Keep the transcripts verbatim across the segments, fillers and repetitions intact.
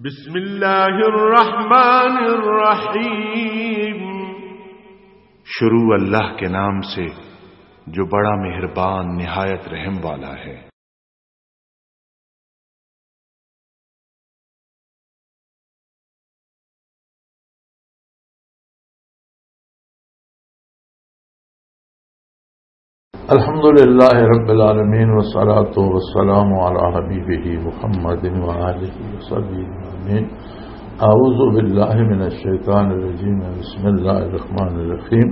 بسم اللہ الرحمن الرحیم۔ شروع اللہ کے نام سے، جو بڑا مہربان، نہایت رحم والا ہے۔ الحمد لله رب العالمين، والصلاة والسلام على حبيبه محمد وآله وصحبه أجمعين. أعوذ بالله من الشيطان الرجيم. بسم الله الرحمن الرحيم.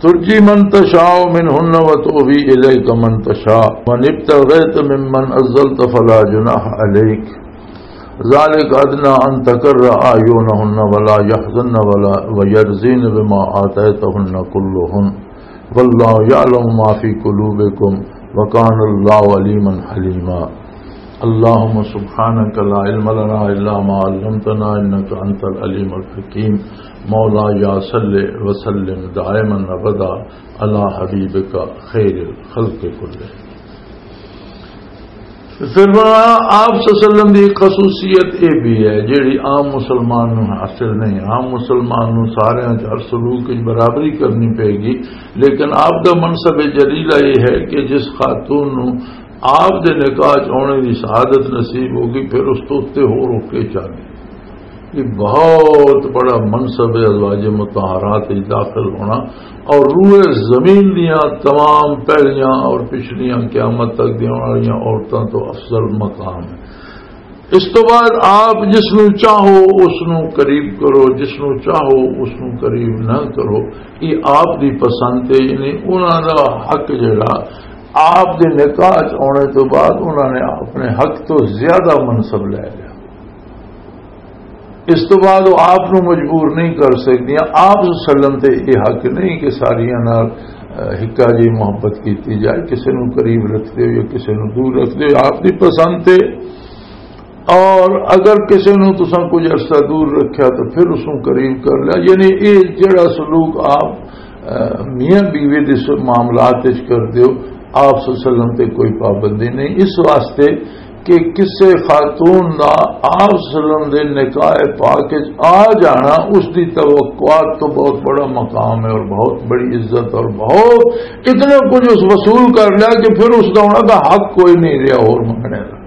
ترجي من تشاء منهن وتؤوي إليك من تشاء، من ابتغيت ممن أزلت فلا جناح عليك. ذلك أدنى أن تقر أعينهن ولا يحزن ولا، ويرضين بما آتيتهن كلهن. والله يعلم ما في قلوبكم، وكان الله عليما حليما. اللهم سبحانك لا علم لنا إلا ما علمتنا، إنك أنت العليم الحكيم. مولاي صل وسلم دائما أبدا على حبيبك خير الخلق كلهم. پھر فرمایا، آپ صلی اللہ علیہ وسلم دی ایک خصوصیت یہ بھی ہے، جیڑی عام مسلمان نوں حاصل نہیں۔ عام مسلمان نوں سارے ہر سلوک وچ برابری کرنی پے گی، لیکن آپ دا منصب جلیلہ یہ ہے کہ جس خاتون نوں آپ دے نکاح چ آنے دی سعادت نصیب ہوگی، پھر اس تو اُتے ہور ہو کے چاہیے۔ یہ بہت بڑا منصب ہے ازواج مطہرات وچ داخل ہونا، اور روئے زمین دیاں تمام پہلیاں اور پچھلیاں قیامت تک دیاں والیاں عورتاں تو افضل مقام ہے۔ اس تو بعد آپ جس نوں چاہو اس نوں قریب کرو، جس نوں چاہو اس نوں قریب نہ کرو۔ یہ آپ دی پسند ہے، یعنی انہاں دا حق جڑا آپ دے نکاح چ آنے تو بعد انہاں نے اپنے حق تو زیادہ منصب لے لیا۔ اس تو بعد وہ آپ نوں مجبور نہیں کر سکدیاں۔ آپ صلی اللہ علیہ وسلم تے یہ حق نہیں کہ ساریاں نال، اہ، ہکا جی محبت کیتی جائے، کسے نوں قریب رکھ دیو یا کسے نوں دور رکھ دیو، آپ دی پسند تے۔ اور اگر کسے نوں تساں کچھ عرصہ دور رکھیا تو پھر اس نوں قریب کر لیا۔ یعنی یہ جڑا سلوک آپ، اہ، میاں بیوی دے س-، معاملات وچ کر دیو، آپ صلی اللہ علیہ وسلم تے کوئی پابندی نہیں۔ اس واسطے کہ کسے خاتون دا آپ صلی اللہ علیہ وسلم دے نکاح پاک وچ آ جانا، اس دی توقعات تو بہت بڑا مقام ہے اور بہت بڑی عزت اور بہت اتنا کچھ اس وصول کر لیا کہ پھر اس دا انہاں دا حق کوئی نہیں رہیا اور منگنے دا۔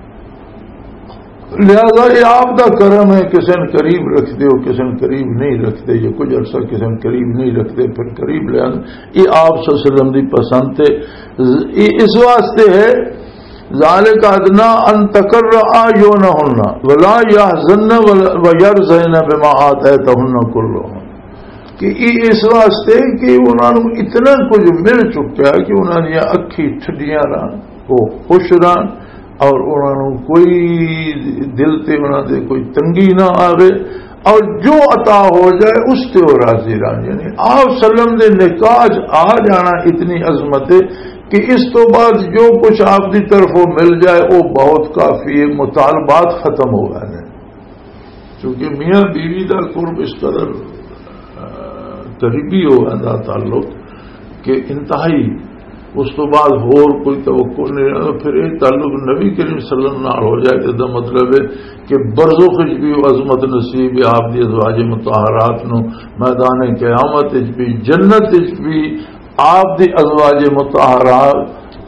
لہذا یہ آپ دا کرم ہے، کسے نے قریب رکھ دیو، کسے نے قریب نہیں رکھ دے، یہ کچھ عرصہ کسے نے قریب نہیں رکھ دے، پھر قریب لے آن۔ یہ آپ صلی اللہ علیہ وسلم دی پسند تے یہ اس واسطے ہے، ذالک ادنی ان تقر اعینہن ولا یحزن ولا، ویرضین بما آتیتہن کلہن، کہ یہ اس واسطے کہ انہاں نوں اتنا کچھ مل چکا ہے کہ انہاں دیاں اکھیں ٹھڈیاں رہن، وہ خوش رہن، اور انہاں نوں کوئی دل تے انہاں دے کوئی تنگی نہ آوے، اور جو عطا ہو جائے اس تے وہ راضی رہن۔ یعنی آپ صلی اللہ علیہ وسلم دے نکاح چ آ جانا اتنی عظمت ہے کہ اس تو بعد جو کچھ آپ دی طرفوں مل جائے وہ بہت کافی ہے، مطالبات ختم ہو گئے ہیں۔ کیونکہ میاں بیوی دا قرب اس قدر، آ، قریبی ہو گیا تعلق کہ انتہائی، اس تو بعد ہور کوئی توقع نہیں رہا۔ پھر یہ تعلق نبی کریم صلی اللہ علیہ وسلم نال ہو جائے، اس دا مطلب ہے کہ برزخ وچ بھی وہ عظمت نصیب ہے آپ دی ازواج مطہرات نو، میدان قیامت وچ بھی، جنت وچ بھی آپ دی ازواج مطہرات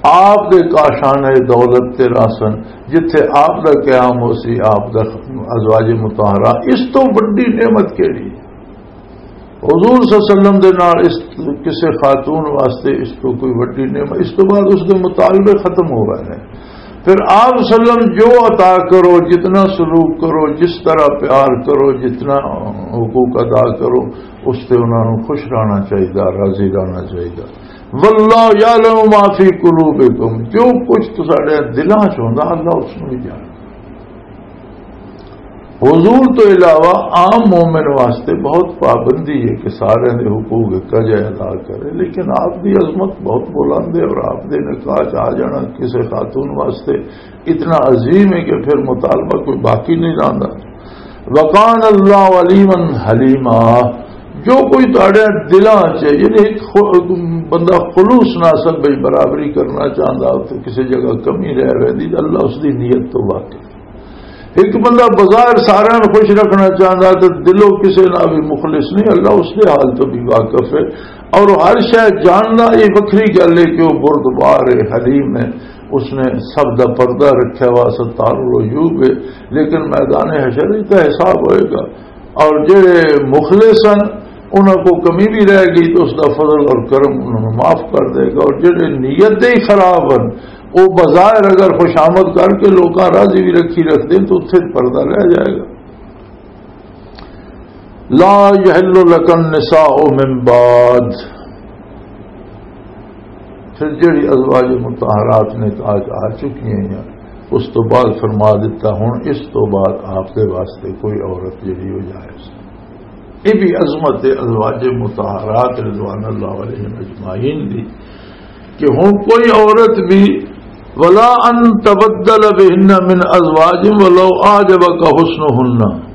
آپ دے کاشان دولت تے راسن، جتھے آپ دا قیام ہو سی، آپ دا ازواج مطہرہ، اس تو بڑی نعمت کیڑی؟ حضور صلی اللہ علیہ وسلم دے نال اس کسے خاتون واسطے اس تو کوئی وڈی نعمت، اس تو بعد اس دے مطالبے ختم ہو گئے ہیں۔ پھر آپ صلی اللہ علیہ وسلم جو عطا کرو، جتنا سلوک کرو، جس طرح پیار کرو، جتنا حقوق ادا کرو، اس تے انہاں نوں خوش رہنا چاہیے، راضی رہنا چاہیے۔ واللہ یعلم ما فی قلوبکم، جو کچھ تساڈے دلاں چ ہوندا، اللہ اس نوں بھی جاندا۔ حضور تو علاوہ عام مومن واسطے بہت پابندی ہے کہ سارے دے حقوق اکا جائے ادا کرے، لیکن آپ دی عظمت بہت بلند ہے اور آپ دے نکاح چ آ جانا کسے خاتون واسطے اتنا عظیم ہے کہ پھر مطالبہ کوئی باقی نہیں رہندا۔ وکان اللہ علیما حلیما، جو کوئی تہاڈے دلاں چ، یعنی ایک خو-، بندہ خلوص نال سب وچ برابری کرنا چاہندا، تے کسی جگہ کمی رہ ویندی، تے اللہ اس دی نیت تو واقف۔ ایک بندہ بظاہر سارے نوں خوش رکھنا چاہتا تو دلوں کسے نال بھی مخلص نہیں، اللہ اس دے حال تو بھی واقف ہے۔ اور ہر شے جاننا یہ وکھری گل ہے کہ وہ بردبار ہے، حلیم ہے، اس نے سب دا پردہ رکھا ہوا، ستار العیوب ہے، لیکن میدان حشر وچ تو حساب ہوئے گا۔ اور جڑے مخلص ہیں، انہاں کو کمی بھی رہ گئی تو اس دا فضل اور کرم انہاں نوں معاف کر دے گا۔ اور جڑے نیت دے ہی خراب ہیں، وہ بظاہر اگر خوشامد کر کے لوکاں راضی بھی رکھی رکھتے ہیں تو اتھے پردہ رہ جائے گا۔ لا يحل لك النساء من بعد۔ پھر جڑی ازواج مطہرات نے کہا کہ آ چکی ہیں، اس تو بعد فرما دیتا، ہن اس تو بعد آپ دے واسطے کوئی عورت جڑی ہو جائے۔ یہ بھی عظمت ہے ازواج مطہرات رضوان اللہ علیہم اجمعین دی، کہ ہن کوئی عورت بھی، ولا ان تبدل بهن من ازواج ولو اعجبك حسنهن۔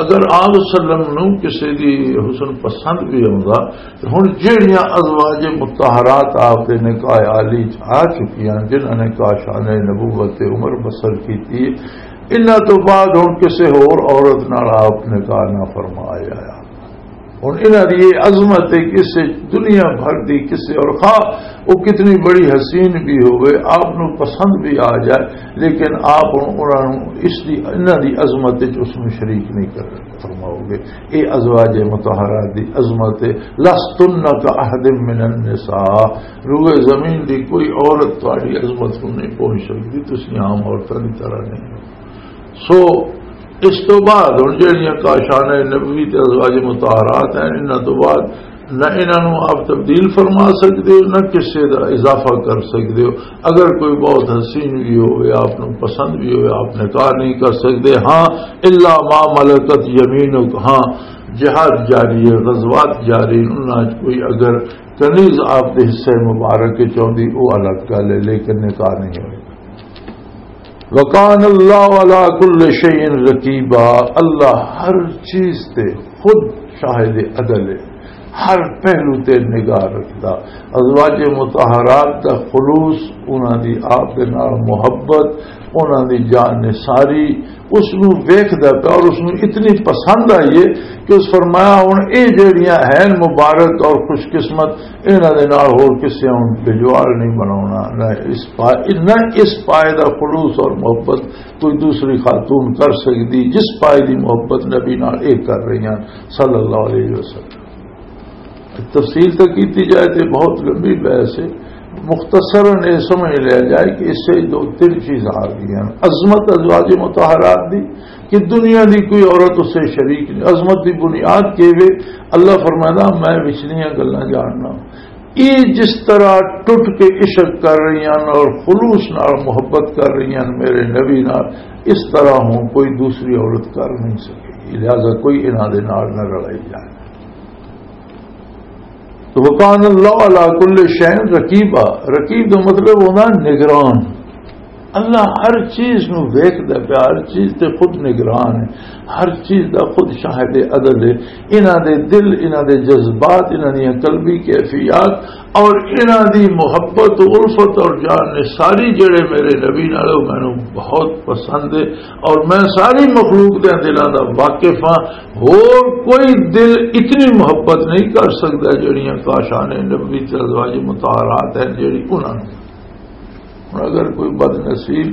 اگر آپ صلی اللہ علیہ وسلم نوں کسی دی حسن پسند بھی آوندا، تے ہن جہڑیاں ازواج مطہرات آپ دے نکاح عالی چ آ چکیاں، جنہاں نے کاشانِ نبوت تے عمر بسر کیتی، انہاں تو بعد ہن کسی ہور عورت نال آپ نکاح نہ فرمایا۔ ہن انہاں دی یہ عظمت ہے کہ اس دنیا بھر دی کسی اور خواہ وہ کتنی بڑی حسین بھی ہوئے، آپ نوں پسند بھی آ جائے، لیکن آپ ہن انہاں نوں اس دی، انہاں دی عظمت وچ اس نوں شریک نہیں کر فرماؤ گے۔ یہ ازواج مطہرات دی عظمت ہے۔ لستن کاحد من النساء، روئے زمین دی کوئی عورت تہاڈی عظمت کو نہیں پہنچ سکتی، تسی عام عورتاں دی طرح نہیں ہو۔ سو اس تو بعد ہن جہڑیاں کاشانِ نبوی تے ازواج مطہرات ہیں، انہاں تو بعد نہ انہاں نوں آپ تبدیل فرما سکدے ہو، نہ کسے دا اضافہ کر سکدے ہو۔ اگر کوئی بہت حسین بھی ہوئے، آپ نوں پسند بھی ہوئے، آپ نکاح نہیں کر سکدے۔ ہاں، الا ما ملکت یمینک، ہاں، جہاد جاری ہے، غزوات جاری ہیں، انہاں چ کوئی اگر کنیز آپ دے حصے مبارک چ آندی، وہ الگ گل ہے، لیکن نکاح نہیں ہوئے۔ وکان اللہ علی کل شیء رقیبا، اللہ ہر چیز تے خود شاہد عدل ہے، ہر پہلو تے نگاہ رکھدا۔ ازواج مطہرات دا خلوص، انہاں دی آپ دے نال محبت، انہاں دی جان نثاری، اس نوں ویکھدا پیا اور اس نوں اتنی پسند آئی ہے کہ اس فرمایا، ہن اے جہڑیاں ہیں مبارک اور خوش قسمت، انہاں دے نال ہور کسے ہن بجواڑ نہیں بناونا، نہ اس پا-، نہ اس پائے دا خلوص اور محبت کوئی دوسری خاتون کر سکدی جس پائے دی محبت نبی نال اے کر رہی ہیں صلی اللہ علیہ وسلم۔ تفصیل تو کیتی جائے تو بہت لمبی بحث ہے، مختصراً یہ سمجھ لیا جائے کہ اس سے دو تین چیزاں آ گئی ہیں۔ عظمت ازواج مطہرات دی کہ دنیا دی کوئی عورت اس سے شریک نہیں۔ عظمت دی بنیاد کے وے، اللہ فرمائنا، میں وچلیاں گلاں جاننا۔ یہ جس طرح ٹوٹ کے عشق کر رہی ہیں اور خلوص نال محبت کر رہی ہیں میرے نبی نال، اس طرح ہوں کوئی دوسری عورت کر نہیں سکی، لہذا کوئی انہاں دے نال نہ رلائی جائے۔ تو وکان اللہ علی کل شیء رقیبا، رقیب دا مطلب ہونا نگران۔ اللہ ہر چیز نو ویکھدا پیا، ہر چیز تے خود نگران ہے، ہر چیز دا خود شاہد عدل ہے۔ انہاں دے دل، انہاں دے جذبات، انہاں دیاں قلبی کیفیات اور انہاں دی محبت و الفت اور جان نثاری جڑے میرے نبی نال، او مینوں بہت پسند ہے اور میں ساری مخلوق دے دلاں دا واقف ہاں۔ ہور کوئی دل اتنی محبت نہیں کر سکدا جڑیاں کاشان نبوی تے ازواج مطہرات ہیں، جڑی انہاں نوں۔ ہن اگر کوئی بد نصیب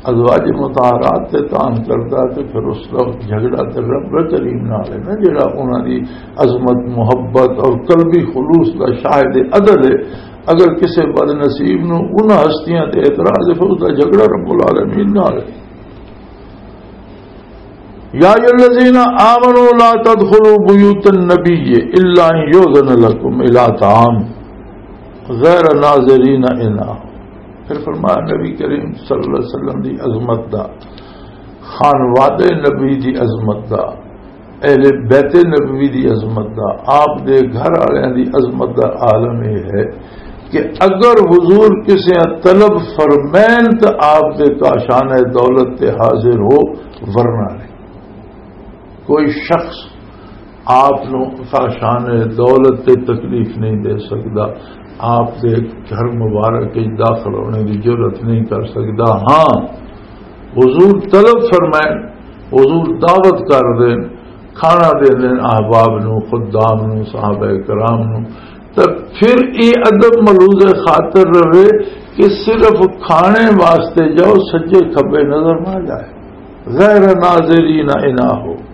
ازواج مطہرات تے تان کردا تے پھر اس دا جھگڑا تے رب کریم نال ہے نا، جڑا انہاں دی عظمت، محبت اور قلبی خلوص دا شاہد عدل ہے۔ اگر کسے بد نصیب نوں انہاں ہستیاں تے اعتراض ہے، پھر اس دا جھگڑا رب العالمین نال ہے۔ یا ایھا الذین آمنوا لا تدخلوا بیوت النبی الا ان یؤذن لکم الی طعام غیر ناظرین اناہ۔ پھر فرمایا نبی کریم صلی اللہ علیہ وسلم دی عظمت دا، خانوادہ نبی دی عظمت دا، اہل بیت نبوی دی عظمت دا، آپ دے گھر والوں دی عظمت دا عالم یہ ہے کہ اگر حضور کسے طلب فرمین تو آپ دے کاشان دولت تے حاضر ہو، ورنہ نہیں۔ کوئی شخص آپ نو کاشان دولت تے تکلیف نہیں دے سکدا، آپ دے گھر مبارک وچ داخل ہونے دی جرات نہیں کر سکدا۔ ہاں، حضور طلب فرمائن، حضور دعوت کر دین، کھانا دے دین احباب نو، خدام نو، صحابہ کرام نو، تے پھر یہ ادب ملحوظ خاطر رہے کہ صرف کھانے واسطے جاؤ، سجے کھبے نظر نہ جائے، غیر ناظرین اناہو۔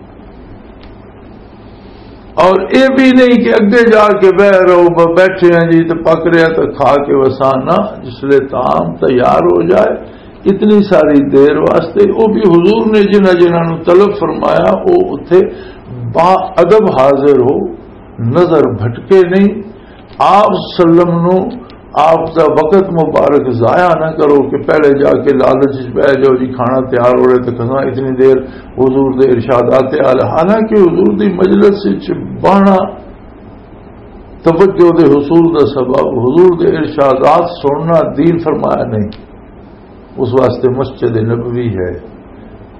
اور یہ بھی نہیں کہ اگے جا کے بہ رہو، ب-، بیٹھے ہیں جی تو پک رہا تو کھا کے وسانا۔ جس لئے طعام تیار ہو جائے، اتنی ساری دیر واسطے، وہ بھی حضور نے جنہاں جنہاں نوں طلب فرمایا، وہ اتھے با ادب حاضر ہو، نظر بھٹکے نہیں۔ آپ سلم نو، آپ دا وقت مبارک ضائع نہ کرو کہ پہلے جا کے لالچ وچ بہ جاؤ جی، کھانا تیار ہو رہے تے کھانا اتنی دیر حضور دے ارشادات آل۔ حالانکہ حضور دی مجلس وچ بہنا توجہ دے حصول دا سبب، حضور دے ارشادات سننا دین فرمایا نہیں۔ اس واسطے مسجد نبوی ہے۔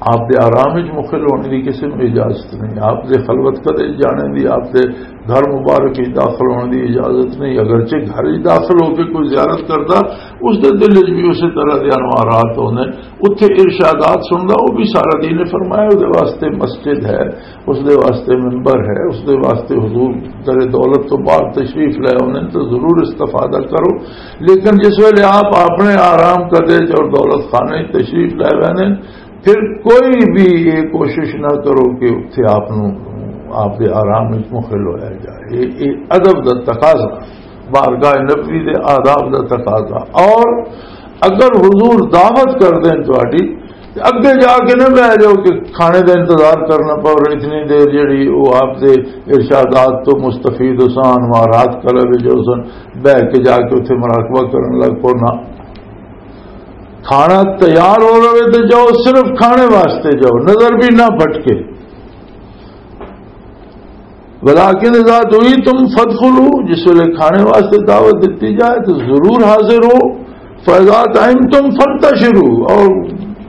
آپ دے آرام وچ مخل ہونے دی کسی نوں اجازت نہیں، آپ دے خلوت کدے جانے دی، آپ دے گھر مبارک وچ داخل ہونے دی اجازت نہیں۔ اگرچہ گھر وچ داخل ہو کے کوئی زیارت کردا، اس دے دل وچ بھی اسی طرح دے انوارات ہوندے۔ اتھے ارشادات سندا، وہ بھی سارا دین فرمایا، اس دے واسطے مسجد ہے، اس دے واسطے ممبر ہے، اس دے واسطے حضور در دولت تو باہر تشریف لے آؤندے نے، تو ضرور استفادہ کرو۔ لیکن جس ویلے آپ اپنے آرام کدے اور دولت خانے تشریف لے ویندے نے، پھر کوئی بھی یہ کوشش نہ کرو کہ اتھے آپ نو، آپ دے آرام وچ مخل ہویا جائے۔ یہ، یہ ادب دا تقاضا، بارگاہ نبوی دے آداب دا تقاضا۔ اور اگر حضور دعوت کر دیں تہاڈی، تے اگے جا کے نہ بہ جاؤ کہ کھانے دا انتظار کرنا پو، اتنی دیر جڑی وہ آپ دے ارشادات تو مستفید ہو سن، انوارات قلب جو سن، بہ کے جا کے اتھے مراقبہ کرن لگ پو۔ نہ، کھانا تیار ہو رہے تو جاؤ، صرف کھانے واسطے جاؤ، نظر بھی نہ بھٹکے۔ ولیکن اذا دعیتم فادخلوا، جس ویلے کھانے واسطے دعوت دتی جائے تو ضرور حاضر ہو۔ فاذا طعمتم فانتشروا، اور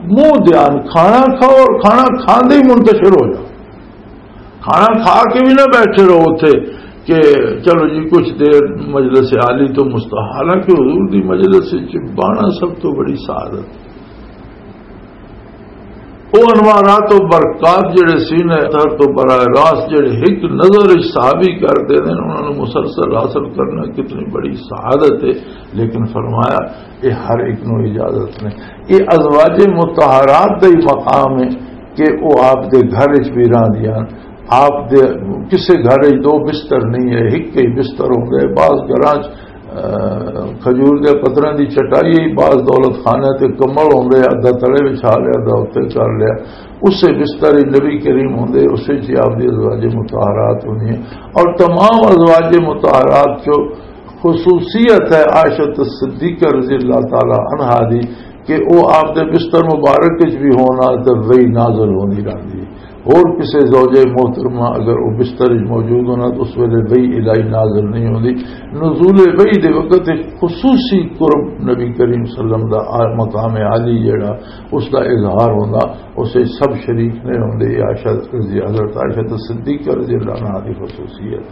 منہ دھیان کھانا کھاؤ اور کھانا کھاندے ہی منتشر ہو جاؤ۔ کھانا کھا کے بھی نہ بیٹھے رہو اتھے کہ چلو جی کچھ دیر مجلس عالی تو مستحب، حالانکہ حضور دی مجلس وچ بانا سب تو بڑی سعادت۔ وہ انوارات و برکات جڑے سینے تر تو براہ راست جڑے ایک نظر وچ صحابی کر دے دین، انہاں نوں مسلسل حاصل کرنا کتنی بڑی سعادت ہے۔ لیکن فرمایا، یہ ہر ایک نوں اجازت نہیں۔ یہ ازواج مطہرات دا ہی مقام ہے کہ وہ آپ دے گھر وچ بھی رہندیاں، آپ دے کسے گھر وچ دو بستر نہیں ہے، ایک ہی بستر ہوندے۔ بعض گھراں وچ، آ، کھجور دے پتراں دی چٹائی، بعض دولت خانے تے کمل ہوندے، ادھا تلے وچھا لیا، ادھا اتھے کر لیا۔ اسے بستر وچ نبی کریم ہوندے، اسے وچ ہی آپ دی ازواج مطہرات ہوندیاں۔ اور تمام ازواج مطہرات چو خصوصیت ہے عائشہ صدیقہ رضی اللہ تعالی عنہا دی کہ وہ آپ دے بستر مبارک وچ بھی ہونا تے وحی نازل ہوندی رہندی ہے۔ اور کسے زوجہ محترمہ اگر وہ بستر وچ موجود ہونا تو اس ویلے وحی الہی نازل نہیں ہوندی۔ نزول وحی دے وقت ایک خصوصی قرب نبی کریم صلی اللہ علیہ وسلم دا آ-، مقام عالی جڑا اس دا اظہار ہوندا، اسے سب شریک نہیں ہوندے۔ یہ عائشہ رضی، حضرت عائشہ صدیقہ رضی اللہ عنہا دی خصوصیت۔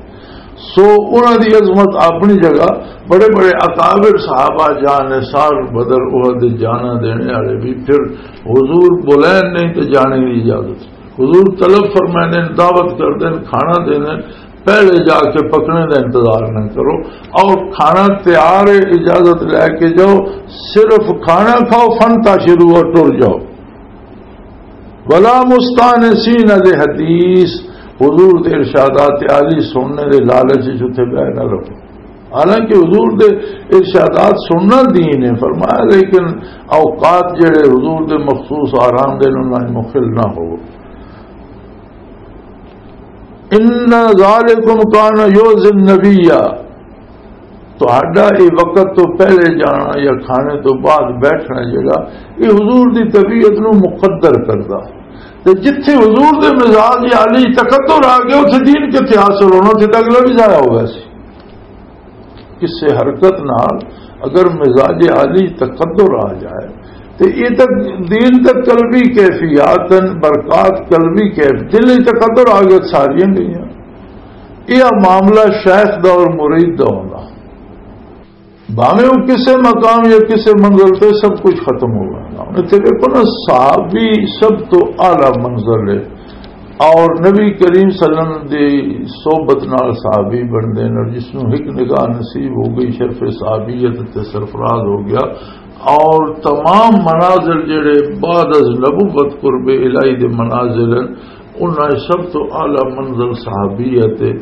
سو انہاں دی عظمت اپنی جگہ، بڑے بڑے اکابر صحابہ جاں نے سال بدر احد جانا دینے والے بھی پھر حضور بلین نہیں تے جانے دی اجازت۔ حضور طلب فرمائے نے، دعوت کر دین، کھانا دے دین، پہلے جا کے پکنے دا انتظار نہ کرو۔ اور کھانا تیار ہے، اجازت لے کے جاؤ، صرف کھانا کھاؤ، فانتشروا اور ٹر جاؤ۔ ولا مستانسین لحدیث، حضور دے ارشادات عالی سننے دے لالچ وچ اتھے بہ نہ رہو۔ حالانکہ حضور دے ارشادات سننا دین ہے فرمایا، لیکن اوقات جڑے حضور دے مخصوص آرام دے انہاں وچ مخل نہ ہو۔ ان ذالکم کان یؤذی النبی، تہاڈا یہ وقت تو پہلے جانا یا کھانے تو بعد بیٹھنا جڑا، یہ حضور دی طبیعت نو مقدر کردا۔ تے جتھے حضور دے مزاج عالی تقدر آ گیا، اتھے دین کتھے حاصل ہونا، اتھے تے اگلا بھی ضائع ہو گیا سی۔ کسے حرکت نال اگر مزاج عالی تقدر آ جائے، تے یہ تک دین تک قلبی کیفیات ہیں، برکات قلبی کیف، دل وچ تقدر آ گیا، ساریاں گئیاں۔ یہ معاملہ شیخ دا اور مرید دا ہونا۔ بھاویں وہ کسے مقام یا کسے منزل تے، سب کچھ ختم ہو گیا۔ ہن اتھے دیکھو نا، صحابی سب تو اعلیٰ منزل ہے، اور نبی کریم صلی اللہ علیہ وسلم دی صحبت نال صحابی بندے نے، اور جس نوں ایک نگاہ نصیب ہو گئی، شرف صحابیت تے سرفراز ہو گیا، اور تمام منازل جڑے بعد از نبوت قرب الہی دے منازل ہیں، انہاں وچ سب تو اعلیٰ منزل صحابیت ہے۔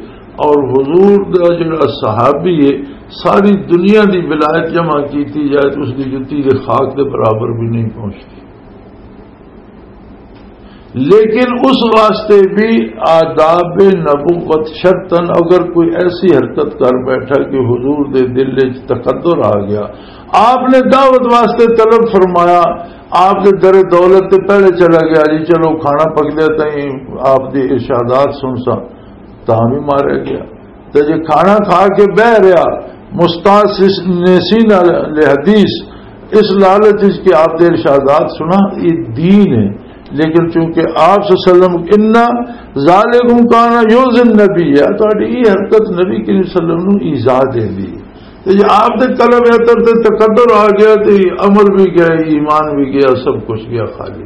اور حضور دا جڑا صحابی ہے، ساری دنیا دی ولایت جمع کیتی جائے تو اس دی جتی دے خاک دے برابر بھی نہیں پہنچتی۔ لیکن اس واسطے بھی آداب نبوت شرطن، اگر کوئی ایسی حرکت کر بیٹھا کہ حضور دے دل وچ تقدر آ گیا، آپ نے دعوت واسطے طلب فرمایا، آپ دے در دولت تے پہلے چلا گیا، جی چلو کھانا پک لیا تائیں آپ دے ارشادات سن سا، تاں بھی ماریا گیا۔ تے جے کھانا کھا کے بہ رہیا، مستانسین علی حدیث، اس لالچ وچ کہ آپ دے ارشادات سنا، یہ دین ہے۔ لیکن چونکہ آپ صلی اللہ علیہ وسلم، ان ذالکم کان یؤذی النبی، تہاڈی یہ حرکت نبی کریم صلی اللہ علیہ وسلم نوں ایذا دیندی ہے۔ تے جے آپ دے قلب اتر تے تقدر آ گیا، تے عمل بھی گیا، ایمان بھی گیا، سب کچھ گیا، خالی۔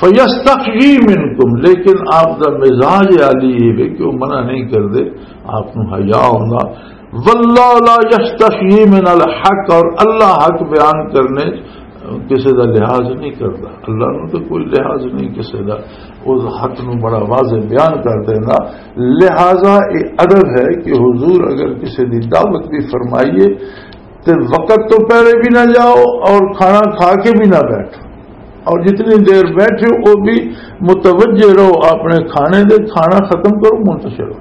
فَيَسْتَحْيِي مِنْكُمْ، لیکن آپ دا مزاج عالی یہ ہے کہ وہ منع نہیں کردے، آپ نوں حیا ہوندا۔ وَاللَّهُ لَا يَسْتَحْيِي مِنَ الْحَقِّ، اور اللہ حق بیان کرنے کسے دا لحاظ نہیں کردا، اللہ نوں تو کوئی لحاظ نہیں کسے دا، اس حق نوں بڑا واضح بیان کر دینا۔ لہذا یہ ادب ہے کہ حضور اگر کسے دی دعوت بھی فرمائیے، تے وقت تو پہلے بھی نہ جاؤ اور کھانا کھا کے بھی نہ بیٹھو، اور جتنی دیر بیٹھے ہو وہ بھی متوجہ رہو اپنے کھانے دے، کھانا ختم کرو، منتشر ہو۔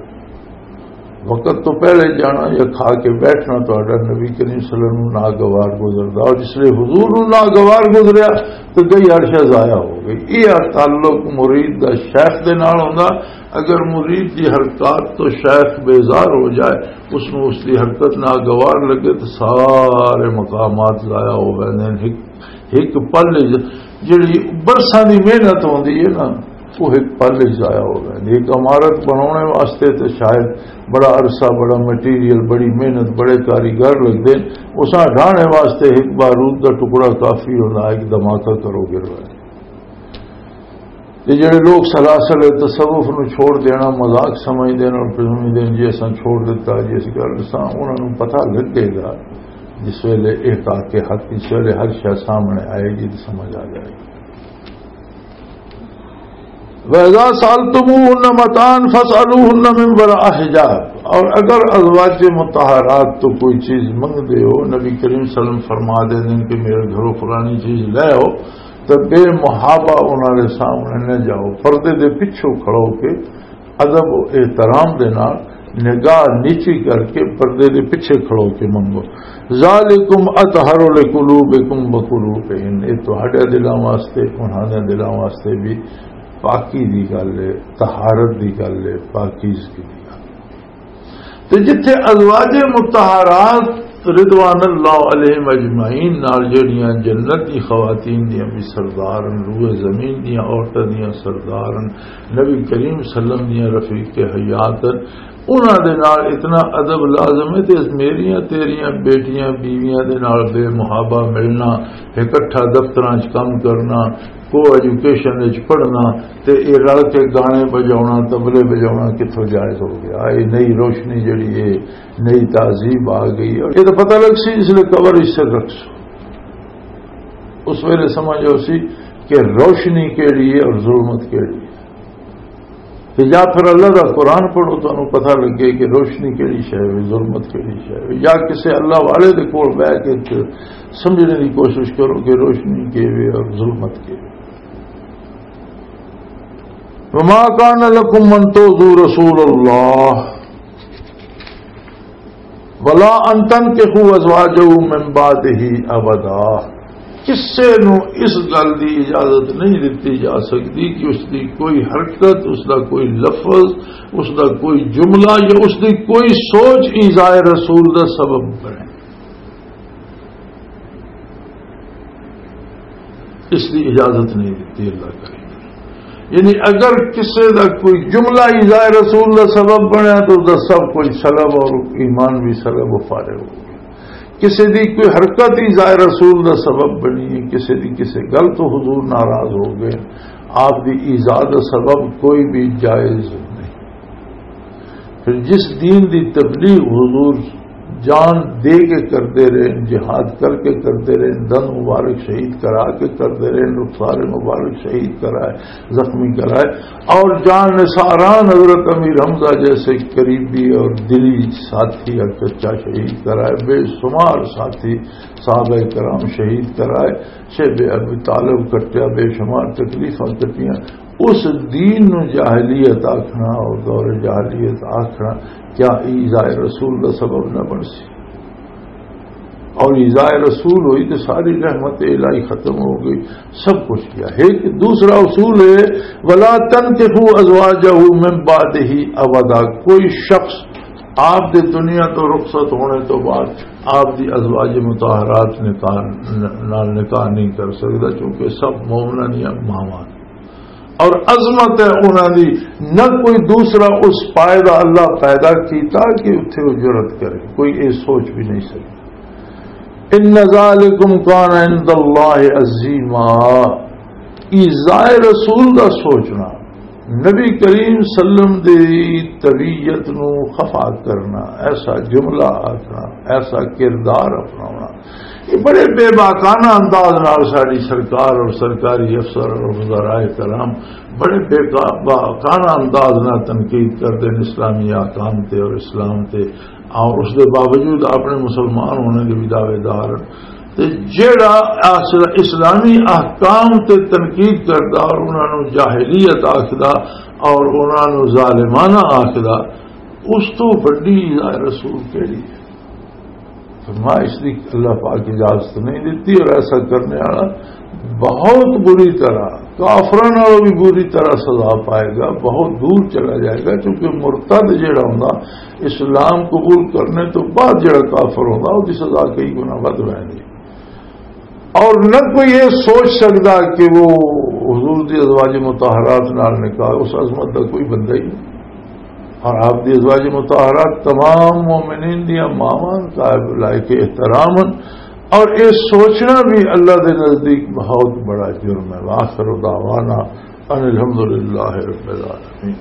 وقت تو پہلے جانا یا کھا کے بیٹھنا تہاڈا نبی کریم صلی اللہ علیہ وسلم ناگوار گزردا، اور جس لئے حضور نوں ناگوار گزریا تو گئی عرشہ ضائع ہو گئی۔ یہ تعلق مرید دا شیخ دے نال ہوندا۔ اگر مرید دی حرکات تو شیخ بیزار ہو جائے، اس نوں اس دی حرکت ناگوار لگے تو سارے مقامات ضائع ہو ویندے نے۔ ایک، ایک پل وچ جڑی برساں دی محنت ہوندی ہے نا، وہ ایک پل وچ ضائع ہو ویندی۔ ایک عمارت بنانے واسطے تے شاید بڑا عرصہ، بڑا مٹیریل، بڑی محنت، بڑے کاریگر لگدے۔ اساں ڈھانے واسطے ایک بارود دا ٹکڑا کافی ہوندا، ایک دھماکہ کرو گر ویندے۔ تے جڑے لوگ سلاسل تصوف نوں چھوڑ دینا مذاق سمجھدے نے اور پھر سمجھدے نے جی اساں چھوڑ دتا، جی اس گل اساں، انہاں نوں پتہ لگے گا جس ویلے احقاق حق، جس ویلے ہر شے سامنے آئے گی تو سمجھ آ جائے گی۔ وَإِذَا سَأَلْتُمُوهُنَّ مَتَاعًا فَاسْأَلُوهُنَّ مِنْ وَرَاءِ حِجَابٍ، اور اگر ازواج مطہرات تو کوئی چیز منگ دے ہو، نبی کریم صلی اللہ علیہ وسلم فرما دے دیں کہ میرے گھروں فلانی چیز لے آؤ، تے بے محابہ انہاں دے سامنے نہ جاؤ، پردے دے پچھوں کھڑو کے ادب و احترام دے نال نگاہ نیچی کر کے پردے دے پچھے کھڑو کے منگو۔ ذالکم اطہر لقلوبکم وقلوبہن، یہ تہاڈے دلاں واسطے، انہاں دے دلاں واسطے بھی پاکی دی گل ہے، طہارت دی گل ہے، پاکیزگی دی گل ہے۔ تے جتھے ازواج مطہرات رضوان اللہ علیہم اجمعین نال جڑیاں جنت دی خواتین دیاں بھی سردار ہن، روئے زمین دیاں عورتاں دیاں سردار ہن، نبی کریم صلی اللہ علیہ وسلم دیاں رفیق حیات ہن، انہاں دے نال اتنا ادب لازم ہے۔ تے میریاں تیریاں بیٹیاں بیویاں دے نال بے محابہ ملنا، اکٹھا دفتراں وچ کم کرنا، کو ایجوکیشن وچ پڑھنا، تے اے رل کے گانے بجاونا، طبلے بجاونا کتھوں جائز ہو گیا؟ اے نئی روشنی جڑی ہے، نئی تہذیب آ گئی۔ اور یہ تو پتہ لگ سی جس لئے قبر اس سے رکھ سو، اس ویلے سمجھ آؤ سی کہ روشنی کیڑی ہے اور ظلمت کیڑی ہے۔ تے یا پھر اللہ دا قرآن پڑھو، تانوں پتہ لگے کہ روشنی کیڑی شے ہے، ظلمت کیڑی شے ہے۔ یا کسے اللہ والے دے کول بیٹھ کے تے سمجھنے دی کوشش کرو کہ روشنی کی ہے اور ظلمت کی ہے۔ وما كان لكم أن تؤذوا رسول الله ولا أن تنكحوا أزواجه من بعده أبدا۔ کسے نو اس گل دی اجازت نہیں دتی جا سکتی کہ اس دی کوئی حرکت، اس دا کوئی لفظ، اس دا کوئی جملہ یا اس دی کوئی سوچ ایذائے رسول دا سبب بنے۔ اس دی اجازت نہیں دتی اللہ کریم۔ یعنی اگر کسی دا کوئی جملہ ایذائے رسول دا سبب بنیا تو اس دا سب کچھ سلب اور ایمان بھی سلب و فارغ ہو گیا۔ کسی دی کوئی حرکت ایذائے رسول دا سبب بنی ہے، کسی دی کسی گل تو حضور ناراض ہو گئے، آپ دی ایذا دا سبب کوئی بھی جائز نہیں۔ پھر جس دین دی تبلیغ حضور جان دے کے کردے رہے، جہاد کر کے کردے رہے، دن مبارک شہید کرا کے کردے رہے، نخسار مبارک شہید کرائے، زخمی کرائے، اور جان نثاران حضرت امیر حمزہ جیسے قریبی اور دلی ساتھی اور چچا شہید کرائے، بے شمار ساتھی صحابہ کرام شہید کرائے، شیب ابی طالب کٹیا، بے شمار تکلیفاں کٹیاں۔ اس دین نو جاہلیت آکھنا اور دور جاہلیت آکھنا، کیا ایذائے رسول دا سبب نہ بن سی؟ اور ایذائے رسول ہوئی تو ساری رحمت الہی ختم ہو گئی، سب کچھ کیا۔ ایک دوسرا اصول ہے، ولا تنکحوا ازواجہ من بعدہ ابدا، کوئی شخص آپ دے دنیا تو رخصت ہونے تو بعد آپ دی ازواج مطہرات نکاح، نال نکاح نہیں کر سکتا، چونکہ سب مومنہ دیاں ماواں اور عظمت ہے انہاں دی، نہ کوئی دوسرا اس پائے دا اللہ پیدا کیتا کہ اتھے وہ جرت کرے، کوئی یہ سوچ بھی نہیں سکتا۔ ان ذالکم کان عند اللہ عظیما، ایذائے رسول دا سوچنا، نبی کریم صلی اللہ علیہ وسلم دی طبیعت نو خفا کرنا، ایسا جملہ آکھنا، ایسا کردار اپناونا، یہ بڑے بے باکانہ انداز نال ساڈی سرکار اور سرکاری افسر اور وزرائے کرام بڑے بے باکانہ انداز نال تنقید کردے نے اسلامی احکام تے اور اسلام تے، اور اس دے باوجود اپنے مسلمان ہونے دے بھی دعوے دار ہن۔ تے جیڑا اصل اسلامی احکام تے تنقید کردا اور انہاں نوں جاہلیت آکھدا اور انہاں نوں ظالمانہ آکھدا، اس تو وڈی ایذائے رسول کیڑی ہے؟ فرمایا، اس دی اللہ پاک اجازت نہیں دیتی، اور ایسا کرنے والا بہت بری طرح، کافراں نالوں بھی بری طرح سزا پائے گا، بہت دور چلا جائے گا، کیونکہ مرتد جڑا ہوندا، اسلام قبول کرنے تو بعد جڑا کافر ہوندا، اس دی سزا کئی گنا ودھ ہوندی۔ اور نہ کوئی یہ سوچ سکتا کہ وہ حضور دی ازواج مطہرات نال نکاح، اس عظمت دا کوئی بندہ ہی نہیں۔ اور آپ دی ازواج مطہرات تمام مومنین دیاں ماواں، قائب لائق احترام ہن۔ اور یہ سوچنا بھی اللہ دے نزدیک بہت بڑا جرم ہے۔ وآخر دعوانا ان الحمدللہ رب العالمین۔